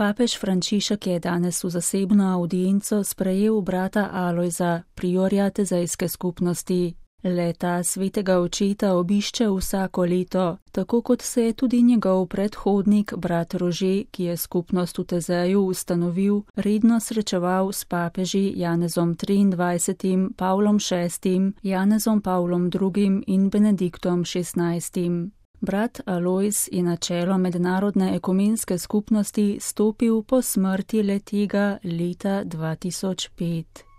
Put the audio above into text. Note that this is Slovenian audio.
Papež Frančišek je danes v zasebno audienco sprejel brata Alojza, priorja Tezejske skupnosti. Leta svetega očeta obišče vsako leto, tako kot se je tudi njegov predhodnik, brat Rože, ki je skupnost v Tezeju ustanovil, redno srečeval s papeži Janezom XXIII., Pavlom VI., Janezom Pavlom II. In Benediktom XVI. Brat Alojz je na čelo mednarodne ekumenske skupnosti stopil po smrti le-tega leta 2005.